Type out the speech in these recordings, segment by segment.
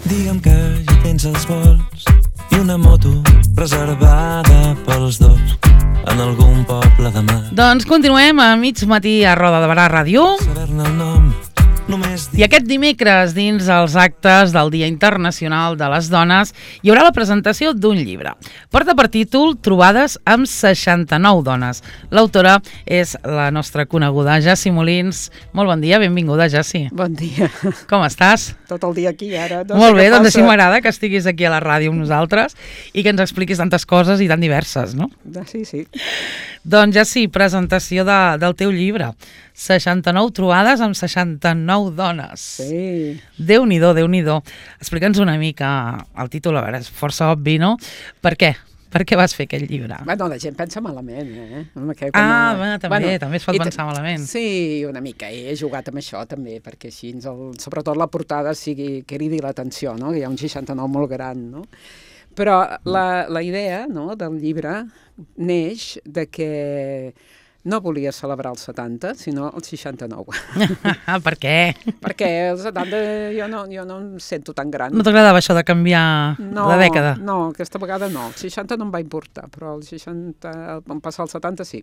Digue'm que ja tens els vols i una moto reservada pels dos en algun poble de mar. Doncs continuem a mig matí a Roda de Barà Ràdio. Saber-ne el nom, només I aquest dimecres, dins els actes del Dia Internacional de les Dones, hi haurà la presentació d'un llibre. Porta per títol Trobades amb 69 dones. L'autora és la nostra coneguda Jassi Molins. Molt bon dia, benvinguda, Jassi. Bon dia. Com estàs? Tot el dia aquí, ara. Molt bé, doncs així m'agrada que estiguis aquí a la ràdio amb nosaltres i que ens expliquis tantes coses i tan diverses, no? Sí, sí. Doncs Jassi, presentació del teu llibre. 69 trobades amb 69 dones. Sí. Déu-n'hi-do, Déu-n'hi-do. Explica'ns una mica el títol, a veure, és força obvi, no? Per què? Per què vas fer aquest llibre? Bueno, la gent pensa malament, eh? També es pot pensar malament. Sí, una mica. He jugat amb això, també, perquè així, sobretot la portada, cridi l'atenció, no? Que hi ha un 69 molt gran, no? Però la idea, no, del llibre neix de que no volia celebrar els 70, sinó els 69. Per què? Perquè els 70 jo no em sento tan gran. No t'agradava això de canviar de dècada? No, aquesta vegada no. Els 60 no em va importar, però els 60, vam passar als 70 sí.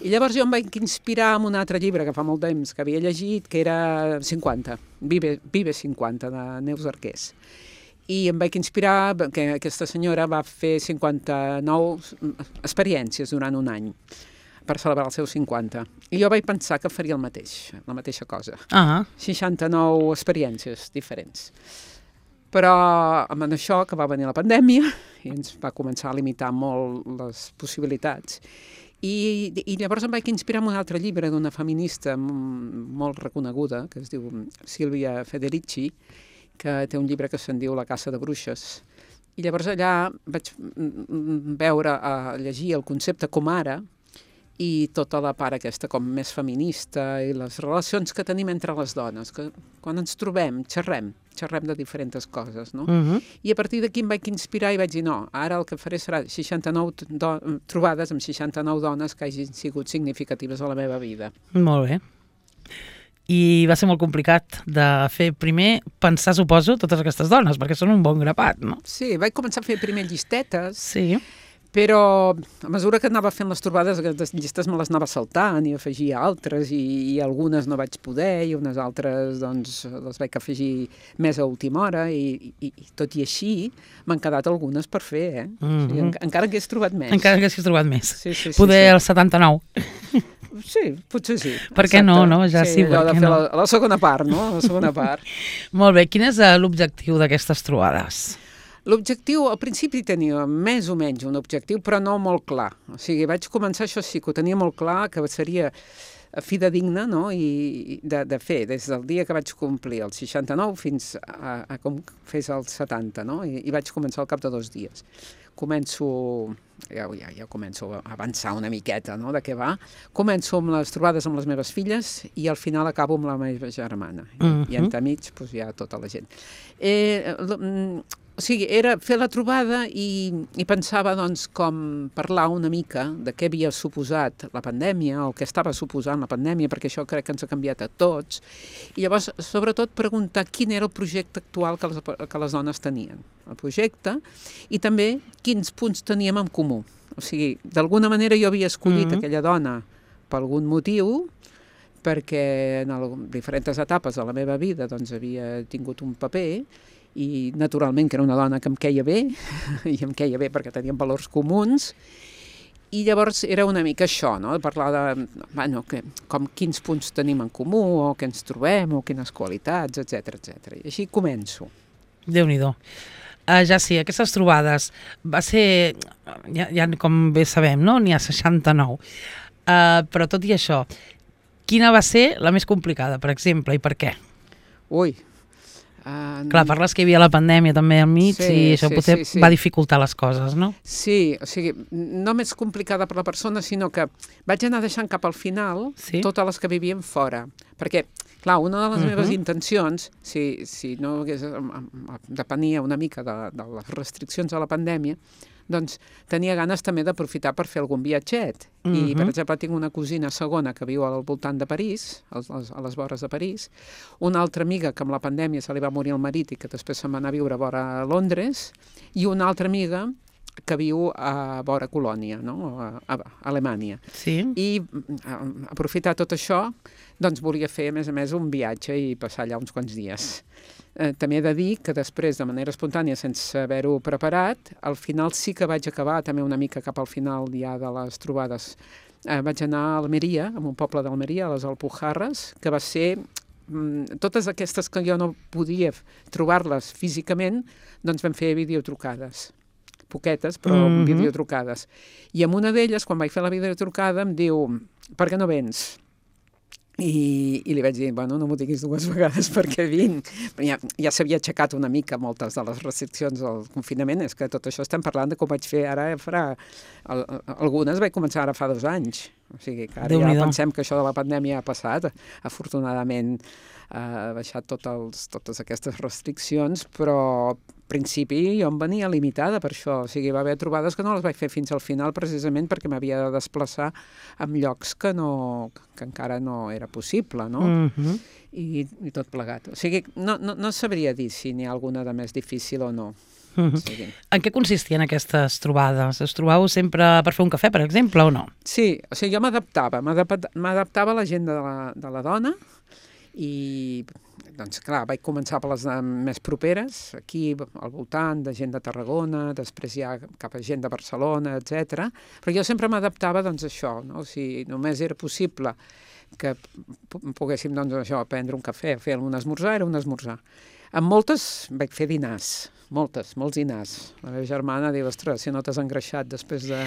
I llavors jo em vaig inspirar en un altre llibre que fa molt temps que havia llegit, que era 50, Vive 50, de Neus Arqués. I em vaig inspirar que aquesta senyora va fer 59 experiències durant un any per celebrar els seus 50. I jo vaig pensar que faria la mateixa cosa. 69 experiències diferents. Però amb això que va venir la pandèmia i ens va començar a limitar molt les possibilitats. I llavors em vaig inspirar en un altre llibre d'una feminista molt reconeguda, que es diu Silvia Federici, que té un llibre que se'n diu La caça de bruixes. I llavors allà vaig llegir el concepte com ara, i tota la part aquesta com més feminista i les relacions que tenim entre les dones, que quan ens trobem xerrem de diferents coses, no? I a partir d'aquí em vaig inspirar i vaig dir no, ara el que faré serà 69 trobades amb 69 dones que hagin sigut significatives a la meva vida. Molt bé. I va ser molt complicat de fer primer pensar, suposo, totes aquestes dones, perquè són un bon grapat, no? Sí, vaig començar a fer primer llistetes. Sí. Però a mesura que anava fent les trobades, aquestes llistes me les anava saltant i afegia altres i algunes no vaig poder i unes altres doncs les vaig afegir més a última hora i tot i així m'han quedat algunes per fer, eh? O sigui, encara que hagués trobat més. Encara que hagués trobat més. Sí. Poder el 79. Sí, potser sí. Per què no, no? Ja sí, allò de fer la segona part, no? La segona part. Molt bé, quin és l'objectiu d'aquestes trobades? L'objectiu, al principi tenia més o menys un objectiu, però no molt clar. O sigui, vaig començar, això sí, que ho tenia molt clar, que seria fidedigna, no? I de fer, des del dia que vaig complir els 69 fins a com fes els 70, no? I vaig començar al cap de 2 dies. Ja començo a avançar una miqueta, no?, de què va. Començo amb les trobades amb les meves filles i al final acabo amb la meva germana. I entremig, doncs, hi ha tota la gent. O sigui, era fer la trobada i pensava, doncs, com parlar una mica de què havia suposat la pandèmia o què estava suposant la pandèmia, perquè això crec que ens ha canviat a tots. I llavors, sobretot, preguntar quin era el projecte actual que les dones tenien. El projecte i també quins punts teníem en comú. O sigui, d'alguna manera jo havia escollit aquella dona per algun motiu, perquè en diferents etapes de la meva vida doncs, havia tingut un paper i naturalment que era una dona que em queia bé, i em queia bé perquè teníem valors comuns, i llavors era una mica això, no?, parlar de com quins punts tenim en comú, o què ens trobem, o quines qualitats, etc. I així començo. Déu-n'hi-do. Ja sí, aquestes trobades va ser, ja com bé sabem, no?, n'hi ha 69, però tot i això, quina va ser la més complicada, per exemple, i per què? Ui, Clar, parles que hi havia la pandèmia també al mig i això potser va dificultar les coses, no? Sí, o sigui, no més complicada per la persona, sinó que vaig anar deixant cap al final totes les que vivien fora, Perquè, clar, una de les meves intencions, si no hagués, depenia una mica de les restriccions de la pandèmia, doncs tenia ganes també d'aprofitar per fer algun viatget. I, per exemple, tinc una cosina segona que viu al voltant de París, a les vores de París, una altra amiga que amb la pandèmia se li va morir el marit i que després se'n va anar a viure a vora Londres, i una altra amiga que viu a vora Colònia, no? A Alemanya. Sí. I aprofitar tot això, doncs volia fer, a més, un viatge i passar allà uns quants dies. També he de dir que després, de manera espontània, sense haver-ho preparat, al final sí que vaig acabar, també una mica cap al final ja de les trobades, vaig anar a Almeria, a un poble d'Almeria, a les Alpujarres, que va ser totes aquestes que jo no podia trobar-les físicament, doncs vam fer videotrucades. Poquetes, però videotrucades. I amb una d'elles, quan vaig fer la videotrucada, em diu, per què no vens? I li vaig dir, bueno, no m'ho diguis 2 vegades perquè vinc. Ja s'havia aixecat una mica moltes de les restriccions del confinament, és que tot això estem parlant de com vaig fer ara, algunes vaig començar ara fa 2 anys. O sigui que ara ja pensem que això de la pandèmia ha passat. Afortunadament ha baixat totes aquestes restriccions, però al principi jo em venia limitada per això. O sigui, va haver trobades que no les vaig fer fins al final precisament perquè m'havia de desplaçar en llocs que encara no era possible, no? I tot plegat. O sigui, no sabria dir si n'hi ha alguna de més difícil o no. Sí. En què consistien aquestes trobades? Es trobàveu sempre per fer un cafè, per exemple, o no? Sí, o sigui, jo m'adaptava a l'agenda de la dona i, doncs, clar, vaig començar per les més properes, aquí al voltant, de gent de Tarragona, després ja cap a gent de Barcelona, etc. Però jo sempre m'adaptava, doncs, a això, no? O sigui, només era possible que poguéssim, doncs, això, prendre un cafè, fer un esmorzar, era un esmorzar. Amb moltes vaig fer dinars, molts dinars. La meva germana diu, ostres, si no t'has engreixat després de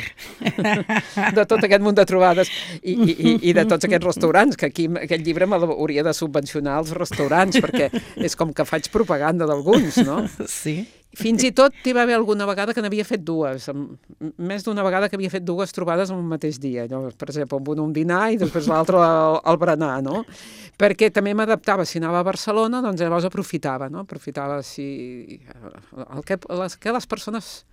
tot aquest munt de trobades i de tots aquests restaurants, que aquí aquest llibre m'hauria de subvencionar els restaurants, perquè és com que faig propaganda d'alguns, no? Sí. Fins i tot hi va haver alguna vegada que n'havia fet 2, més d'una vegada que havia fet 2 trobades en un mateix dia. Per exemple, un dinar i després l'altre al berenar, no? Perquè també m'adaptava, si anava a Barcelona, doncs llavors aprofitava, no? Aprofitava que les persones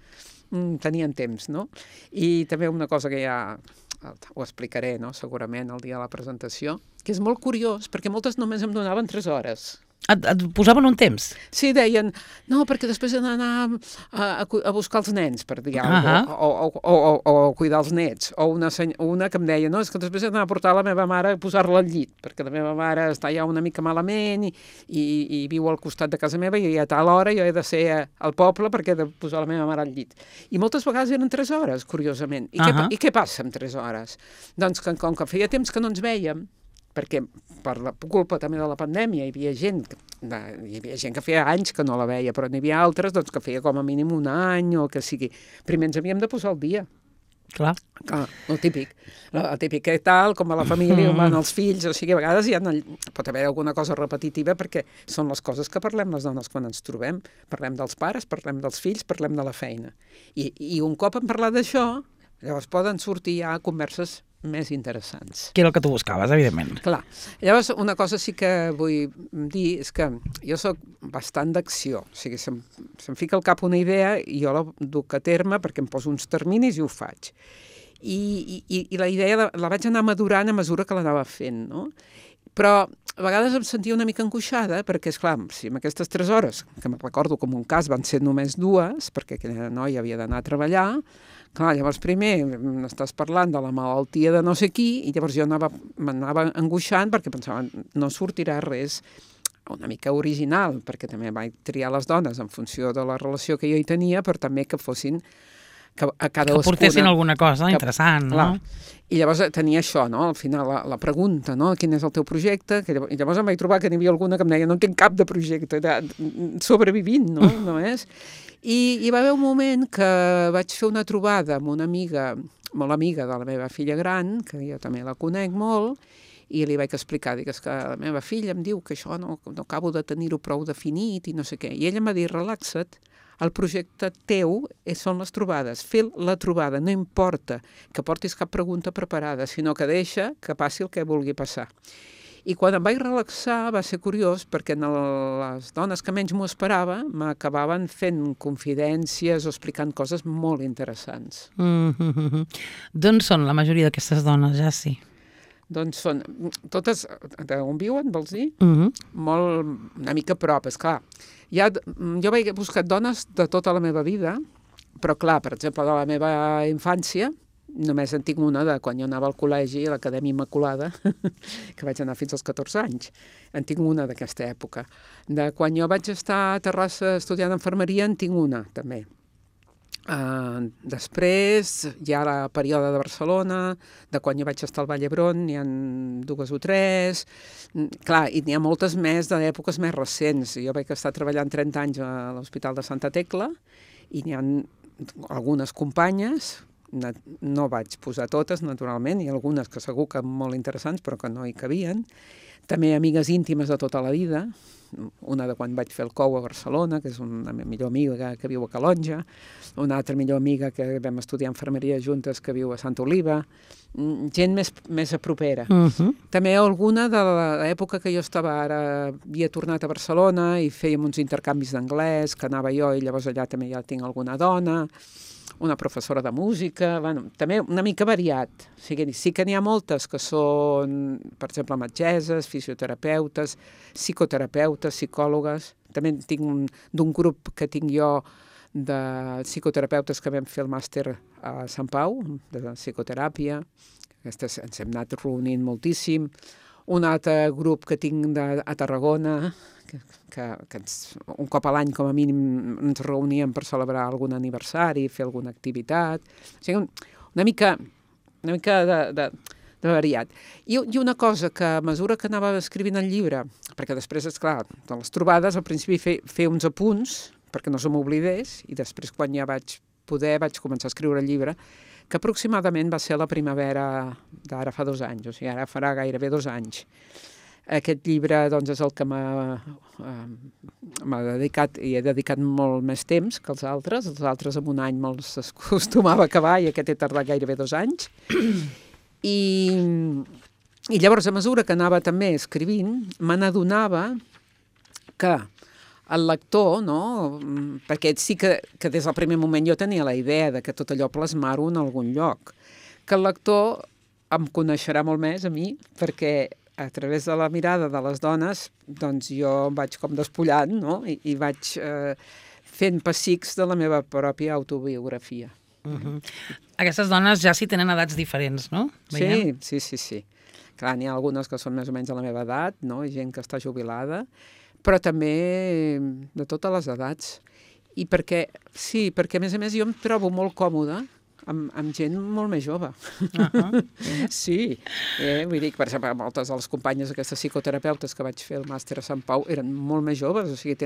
tenien temps, no? I també una cosa que ja ho explicaré, no? Segurament el dia de la presentació, que és molt curiós, perquè moltes només em donaven 3 hores. Et posaven un temps? Sí, deien, no, perquè després he d'anar a buscar els nens, per dir alguna cosa, o cuidar els nets, o una que em deia, no, és que després he d'anar a portar la meva mare a posar-la al llit, perquè la meva mare està ja una mica malament i viu al costat de casa meva i a tal hora jo he de ser al poble perquè he de posar la meva mare al llit. I moltes vegades eren 3 hores, curiosament. I què passa amb 3 hores? Doncs que com que feia temps que no ens vèiem, perquè per la culpa també de la pandèmia hi havia gent que feia anys que no la veia, però n'hi havia altres doncs, que feia com a mínim un any o que sigui. Primer ens havíem de posar al dia. Clar, el típic que tal, com a la família, van els fills, o sigui, a vegades pot haver alguna cosa repetitiva perquè són les coses que parlem les dones quan ens trobem. Parlem dels pares, parlem dels fills, parlem de la feina. I un cop hem parlat d'això, llavors poden sortir ja converses més interessants. Que era el que tu buscaves, evidentment. Clar. Llavors, una cosa sí que vull dir és que jo sóc bastant d'acció. O sigui, se'm fica al cap una idea i jo la duc a terme perquè em poso uns terminis i ho faig. I la idea la vaig anar madurant a mesura que l'anava fent, no? Però a vegades em sentia una mica angoixada perquè, esclar, si en aquestes 3 hores, que me'n recordo com un cas van ser només 2, perquè aquella noia havia d'anar a treballar, clar, llavors primer estàs parlant de la malaltia de no sé qui i llavors jo m'anava angoixant perquè pensava no sortirà res una mica original, perquè també vaig triar les dones en funció de la relació que jo hi tenia, però també que fossin que portessin alguna cosa interessant, no? I llavors tenia això, no? Al final la pregunta, no? Quin és el teu projecte? I llavors em vaig trobar que n'hi havia alguna que em deia no tinc cap de projecte, sobrevivint, no? No és? I hi va haver un moment que vaig fer una trobada amb una amiga, molt amiga de la meva filla gran, que jo també la conec molt, i li vaig explicar, dic, que la meva filla em diu que això no acabo de tenir-ho prou definit i no sé què. I ella em va dir, relaxa't, el projecte teu són les trobades, fer la trobada, no importa que portis cap pregunta preparada, sinó que deixa que passi el que vulgui passar. I quan em vaig relaxar va ser curiós perquè les dones que menys m'ho esperava m'acabaven fent confidències o explicant coses molt interessants. D'on són la majoria d'aquestes dones, ja sí? Doncs són totes, d'on viuen, vols dir? Molt, una mica a prop, esclar. Jo vaig buscar dones de tota la meva vida, però clar, per exemple, de la meva infància, només en tinc una de quan jo anava al col·legi, a l'Acadèmia Immaculada, que vaig anar fins als 14 anys. En tinc una d'aquesta època. De quan jo vaig estar a Terrassa estudiant infermeria, en tinc una, també. Després hi ha la període de Barcelona, de quan jo vaig estar al Vall d'Hebron, n'hi ha 2 o 3. Clar, i n'hi ha moltes més d'èpoques més recents. Jo vaig estar treballant 30 anys a l'Hospital de Santa Tecla i n'hi ha algunes companyes, no vaig posar totes, naturalment, i algunes que segur que molt interessants, però que no hi cabien. També amigues íntimes de tota la vida, una de quan vaig fer el COU a Barcelona, que és una millor amiga que viu a Calonja, una altra millor amiga que vam estudiar infermeria juntes que viu a Santa Oliva, gent més a propera. També alguna de l'època que jo estava ara, havia tornat a Barcelona i fèiem uns intercanvis d'anglès, que anava jo i llavors allà també ja tinc alguna dona, una professora de música, bueno, també una mica variat. O sigui, sí que n'hi ha moltes que són, per exemple, metgesses, fisioterapeutes, psicoterapeutes, psicòlogues. També en tinc d'un grup que tinc jo de psicoterapeutes que vam fer el màster a Sant Pau, de psicoteràpia. Aquestes ens hem anat reunint moltíssim. Un altre grup que tinc a Tarragona, que un cop a l'any com a mínim ens reuníem per celebrar algun aniversari, fer alguna activitat. O sigui, una mica de variat. I una cosa que a mesura que anava escrivint el llibre, perquè després, esclar, de les trobades, al principi fer uns apunts, perquè no se m'oblidés, i després quan ja vaig començar a escriure el llibre, que aproximadament va ser la primavera d'ara fa 2 anys, o sigui, ara farà gairebé 2 anys. Aquest llibre doncs, és el que m'ha dedicat, i he dedicat molt més temps que els altres en un any me'ls acostumava a acabar i aquest he tardat gairebé 2 anys. I llavors, a mesura que anava també escrivint, me n'adonava que el lector, no? Perquè sí que des del primer moment jo tenia la idea de que tot allò plasmar-ho en algun lloc, que el lector em coneixerà molt més a mi, perquè a través de la mirada de les dones, doncs jo em vaig com despullant, no? I vaig fent pessics de la meva pròpia autobiografia. Aquestes dones ja sí tenen edats diferents, no? Veiem? Sí. Clar, n'hi ha algunes que són més o menys a la meva edat, no? Gent que està jubilada, però també de totes les edats. I perquè a més jo em trobo molt còmoda amb gent molt més jove. Sí. Vull dir que, per exemple, moltes de les companyes d'aquestes psicoterapeutes que vaig fer el màster a Sant Pau eren molt més joves, o sigui,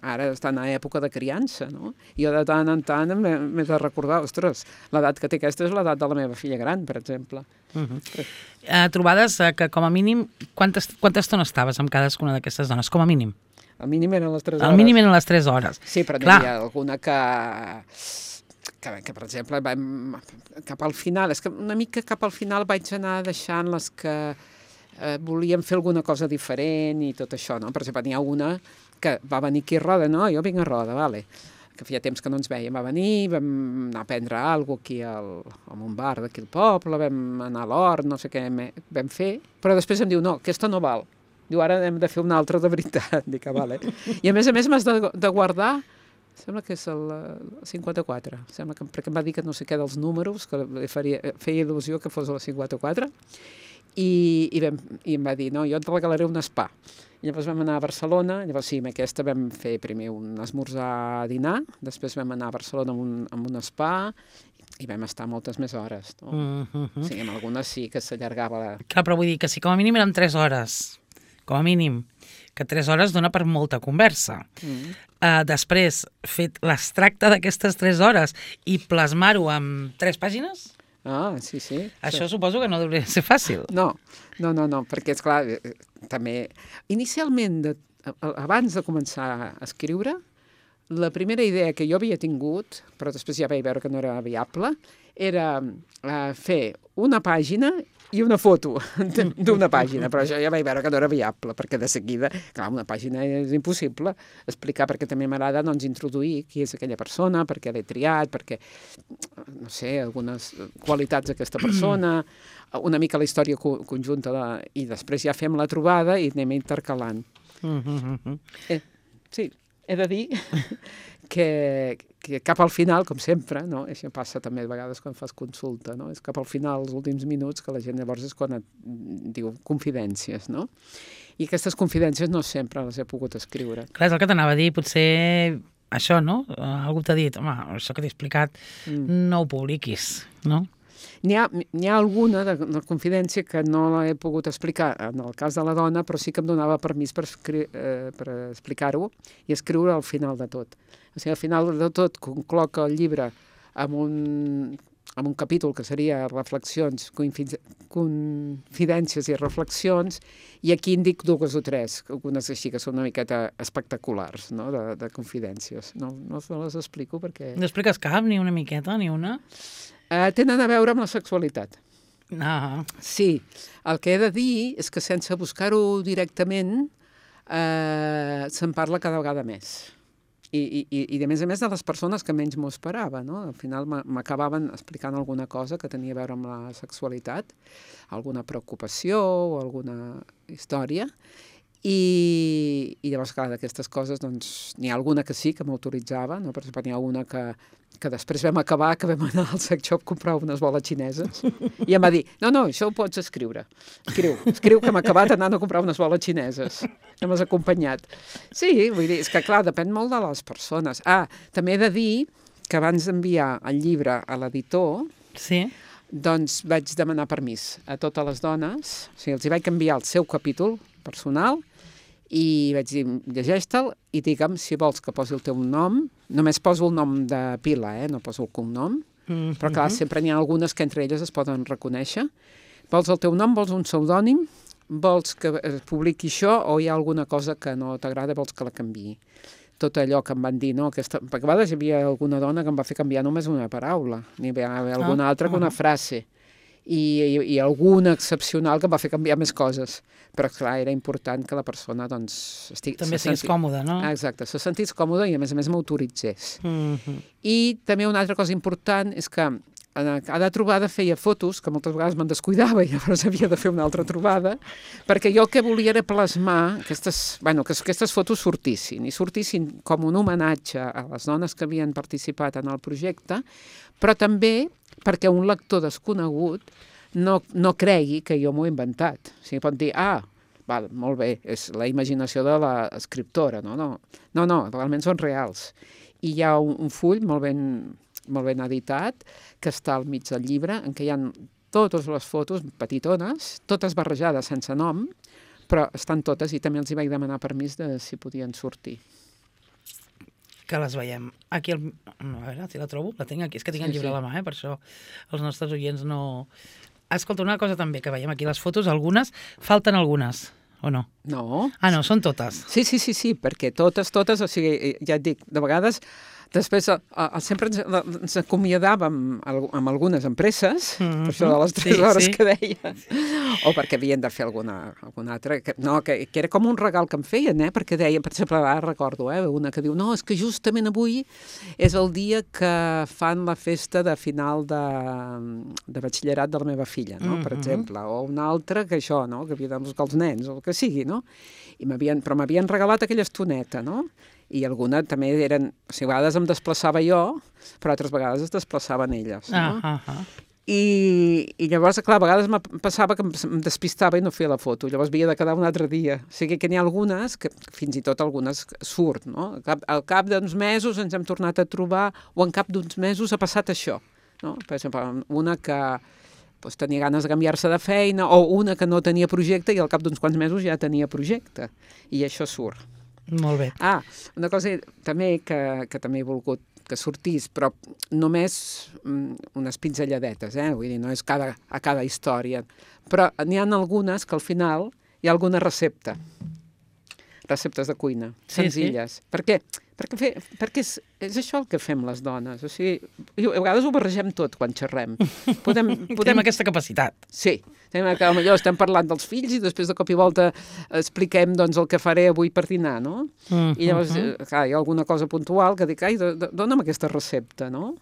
ara estan a època de criança, no? I jo de tant en tant m'he de recordar, ostres, l'edat que té aquesta és l'edat de la meva filla gran, per exemple. Trobades que, com a mínim, quanta estona estaves amb cadascuna d'aquestes dones? Com a mínim? Al mínim eren les 3 hores. Al mínim eren les 3 hores. Sí, però n'hi havia alguna que per exemple, cap al final, és que una mica cap al final vaig anar deixant les que volíem fer alguna cosa diferent i tot això, no? Per exemple, n'hi ha una que va venir aquí a Roda, no? Jo vinc a Roda, vale, que feia temps que no ens veiem, va venir, vam anar a prendre alguna cosa aquí en un bar d'aquí al poble, vam anar a l'hort, no sé què vam fer, però després em diu, no, aquesta no val. Diu, ara hem de fer una altra de veritat. Dic, vale. I a més m'has de guardar, sembla que és el 54, sembla que, perquè em va dir que no sé què dels números, que feia il·lusió que fos el 54, i em va dir, no, jo et regalaré un spa. I llavors vam anar a Barcelona, llavors sí, amb aquesta vam fer primer un esmorzar dinar, després vam anar a Barcelona amb un spa, i vam estar moltes més hores, no? Sí, amb algunes sí que s'allargava. Clar, però vull dir que si com a mínim eren 3 hores, com a mínim, que 3 hores dona per molta conversa. Després, fet l'extracte d'aquestes 3 hores i plasmar-ho en 3 pàgines? Sí. Això suposo que no hauria de ser fàcil. No, perquè, esclar, també... Inicialment, abans de començar a escriure, la primera idea que jo havia tingut, però després ja vaig veure que no era viable, era fer una pàgina i una foto d'una pàgina, però això ja vaig veure que no era viable, perquè de seguida, clar, una pàgina és impossible explicar, perquè també m'agrada doncs, introduir qui és aquella persona, per què l'he triat, perquè, no sé, algunes qualitats d'aquesta persona, una mica la història conjunta, i després ja fem la trobada i anem intercalant. Sí, he de dir que cap al final, com sempre, no? Això passa també a vegades quan fas consulta, no? És cap al final, els últims minuts, que la gent llavors és quan et diu confidències, no? I aquestes confidències no sempre les he pogut escriure. Clar, és el que t'anava a dir, potser això, no? Algú t'ha dit, home, això que t'he explicat no ho publiquis, no? N'hi ha alguna de confidència que no l'he pogut explicar en el cas de la dona, però sí que em donava permís per explicar-ho i escriure al final de tot. O sigui, al final de tot concloca el llibre amb un capítol que seria reflexions, confidències i reflexions, i aquí en dic 2 o 3, algunes així que són una miqueta espectaculars, no?, de confidències. No les explico perquè... No expliques cap, ni una miqueta, ni una? Tenen a veure amb la sexualitat. Ah. Sí, el que he de dir és que sense buscar-ho directament se'n parla cada vegada més. I a més de les persones que menys m'ho esperava, no? Al final m'acabaven explicant alguna cosa que tenia a veure amb la sexualitat, alguna preocupació o alguna història, i llavors, clar, d'aquestes coses, doncs, n'hi ha alguna que sí, que m'autoritzava, no? Per exemple, n'hi ha una que després vam acabar, que vam anar al sex shop a comprar unes boles xineses, i em va dir, no, això ho pots escriure. Escriu que hem acabat anant a comprar unes boles xineses. Que m'has acompanyat. Sí, vull dir, és que clar, depèn molt de les persones. També he de dir que abans d'enviar el llibre a l'editor, sí, doncs vaig demanar permís a totes les dones, o sigui, els hi vaig enviar el seu capítol personal i vaig dir, llegeix-te'l i digue'm si vols que posi el teu nom, només poso el nom de pila, no poso el cognom, però clar, sempre n'hi ha algunes que entre elles es poden reconèixer. Vols el teu nom, vols un pseudònim, vols que es publiqui això o hi ha alguna cosa que no t'agrada, vols que la canviï. Tot allò que em van dir, no? Perquè a vegades hi havia alguna dona que em va fer canviar només una paraula, n'hi havia alguna altra que una frase, i alguna excepcional que em va fer canviar més coses. Però, clar, era important que la persona, doncs... També sigués còmoda, no? Exacte, se sentís còmoda i, a més m'autoritzés. I també una altra cosa important és que a cada trobada feia fotos, que moltes vegades me'n descuidava i llavors havia de fer una altra trobada, perquè jo el que volia era plasmar que aquestes fotos sortissin com un homenatge a les dones que havien participat en el projecte, però també perquè un lector desconegut no cregui que jo m'ho he inventat. O sigui, pot dir, molt bé, és la imaginació de l'escriptora, no? No, realment són reals. I hi ha un full molt ben editat, que està al mig del llibre, en què hi ha totes les fotos petitones, totes barrejades sense nom, però estan totes, i també els hi vaig demanar permís de si podien sortir. Que les veiem. Aquí, a veure si la trobo, la tinc aquí, és que tinc el llibre a la mà, per això els nostres oients no... Escolta, una cosa també, que veiem aquí les fotos, algunes, falten algunes, o no? No. No, són totes. Sí, perquè totes, o sigui, ja et dic, de vegades... Després, sempre ens acomiadàvem amb algunes empreses, per això de les 3 hores que deia, o perquè havien de fer alguna altra, que era com un regal que em feien, perquè deien, per exemple, ara recordo, una que diu, no, és que justament avui és el dia que fan la festa de final de batxillerat de la meva filla, no? Per exemple, o una altra que això, no? Que havia de buscar els nens, o el que sigui, no? Però m'havien regalat aquella estoneta, no? I alguna també eren... O sigui, a vegades em desplaçava jo, però altres vegades es desplaçaven elles, no? I llavors, clar, a vegades em passava que em despistava i no feia la foto, llavors havia de quedar un altre dia. O sigui que n'hi ha algunes, que fins i tot algunes surt, no? Al cap d'uns mesos ens hem tornat a trobar, o en cap d'uns mesos ha passat això, no? Per exemple, una que tenia ganes de canviar-se de feina, o una que no tenia projecte i al cap d'uns quants mesos ja tenia projecte, i això surt. Molt bé. Una cosa també que també he volgut que sortís, però només unes pinzelladetes, vull dir, no és a cada història. Però n'hi ha algunes que al final hi ha alguna recepta. Receptes de cuina, senzilles. Per què? Perquè és això el que fem les dones. O sigui, a vegades ho barregem tot quan xerrem. Tenim aquesta capacitat. Sí, que potser estem parlant dels fills i després de cop i volta expliquem doncs, el que faré avui per dinar, no? I llavors, clar, hi ha alguna cosa puntual que dic, ai, dona'm aquesta recepta, no?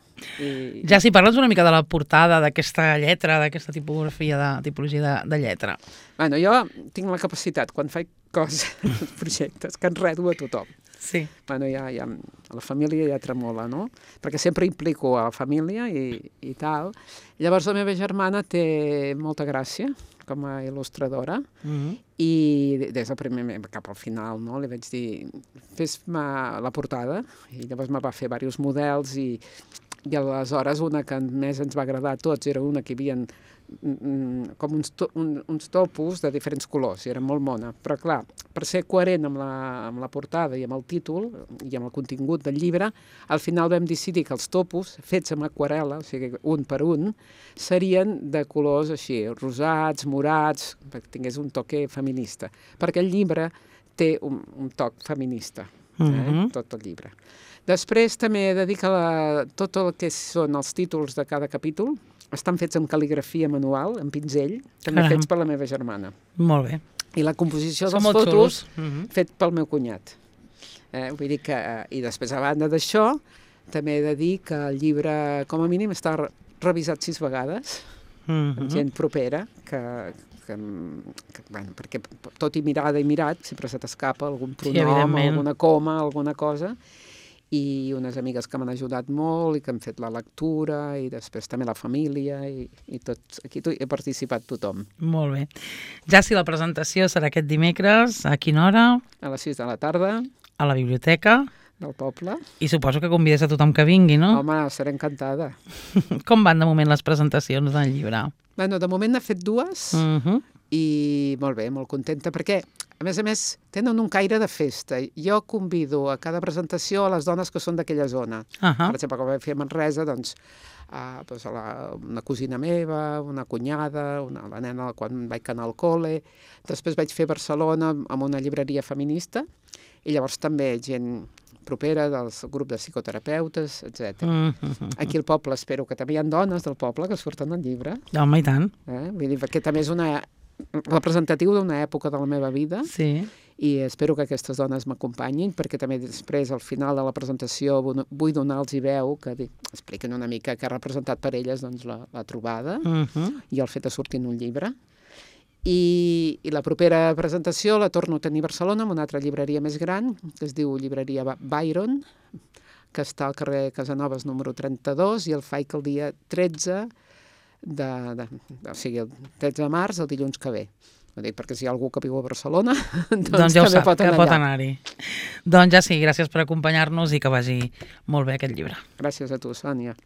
Ja, si parles una mica de la portada d'aquesta lletra, d'aquesta tipologia de lletra. Bueno, jo tinc la capacitat, quan faig coses, projectes, que enredo a tothom. Sí. Bueno, ja, a la família ja tremola, no? Perquè sempre implico a la família i tal. Llavors la meva germana té molta gràcia com a il·lustradora i des del primer cap al final, no? Li vaig dir, fes-me la portada, i llavors me va fer diversos models i aleshores una que més ens va agradar a tots era una que hi havia com uns topos de diferents colors, i era molt mona. Però clar, per ser coherent amb la portada i amb el títol i amb el contingut del llibre, al final vam decidir que els topos, fets amb aquarel·la, o sigui, un per un, serien de colors així, rosats, morats, perquè tingués un toque feminista. Perquè el llibre té un toc feminista, tot el llibre. Després també he de dir que tot el que són els títols de cada capítol estan fets amb cal·ligrafia manual, amb pinzell, també fets per la meva germana. Molt bé. I la composició dels fotos fet pel meu cunyat. Vull dir que, i després, a banda d'això, també he de dir que el llibre, com a mínim, està revisat 6 vegades, amb gent propera, bueno, perquè tot i mirada i mirat, sempre se t'escapa algun pronom, alguna coma, alguna cosa, i unes amigues que m'han ajudat molt i que han fet la lectura, i després també la família, i tots, aquí he participat tothom. Molt bé. Ja si la presentació serà aquest dimecres, a quina hora? A les 6 de la tarda. A la biblioteca del poble. I suposo que convides a tothom que vingui, no? Home, seré encantada. Com van de moment les presentacions del llibre? Bueno, de moment n'he fet 2 i molt bé, molt contenta, perquè a més, tenen un caire de festa. Jo convido a cada presentació a les dones que són d'aquella zona. Per exemple, com vaig fer a Manresa, doncs, una cosina meva, una cunyada, la nena quan vaig anar al col·le. Després vaig fer a Barcelona amb una llibreria feminista, i llavors també gent propera del grup de psicoterapeutes, etc. Aquí al poble espero que també hi ha dones del poble que surten al llibre. Home, i tant. Vull dir, perquè també és representatiu d'una època de la meva vida, i espero que aquestes dones m'acompanyin, perquè també després, al final de la presentació, vull donar-los veu, que expliquen una mica què ha representat per elles doncs, la trobada i el fet de sortir en un llibre. I la propera presentació la torno a tenir a Barcelona, en una altra llibreria més gran, que es diu Llibreria Byron, que està al carrer Casanovas número 32, i el faig el dia 13 o sigui, el 13 de març, el dilluns que ve. Ho dic perquè si hi ha algú que viu a Barcelona, doncs ja també pot anar allà. Pot anar-hi. Doncs ja sí, gràcies per acompanyar-nos i que vagi molt bé aquest llibre. Gràcies a tu, Sònia.